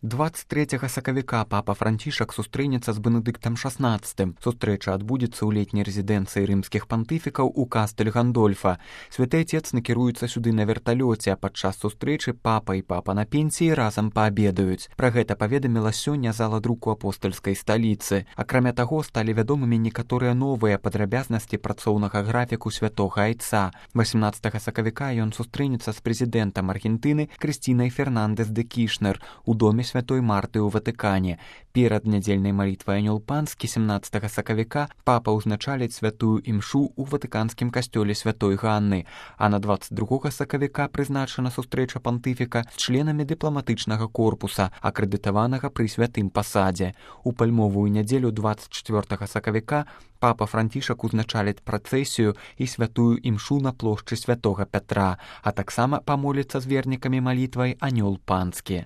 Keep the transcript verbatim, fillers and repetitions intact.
двадцать трэцяга сакавіка папа Францішак сустрэнецца з Бенедыктам шаснаццатым. Сустрэча адбудзецца ў летняй рэзідэнцыі рымскіх пантыфікаў у Кастэль Гандольфа. Святы Отец накіруецца сюды на верталёце, а падчас сустрэчы папа і папа на пенсіі разам паабедаюць. Пра гэта паведаміла сёння зала друку апостальскай сталіцы. Акрамя таго, сталі вядомымі некаторыя новыя падрабязнасці працоўнага графіку святога Айца. васемнаццатага сакавіка ён сустрэнецца з прэзідэнтам Аргентыны Крыстінай Фернандэс де Кішнер у доме святой Марты ў Ватыкане. Перад нядзельнай малітвай Анёл Панскі сямнаццатага сакавіка папа ўзначаліць святую імшу ў ватыканскім касцёле святой Ганны, а на двадцать другога сакавіка прызначана сустрэча пантыфіка з членамі дыпламатычнага корпуса, акрэдытаванага пры святым пасадзе. У пальмовую нядзелю двадцать чацвёртага сакавіка папа Францішак узначаліць працэсію і святую імшу на плошчы святога Пятра, а таксама памоліцца з вернікамі малітвай Анёл Панскі.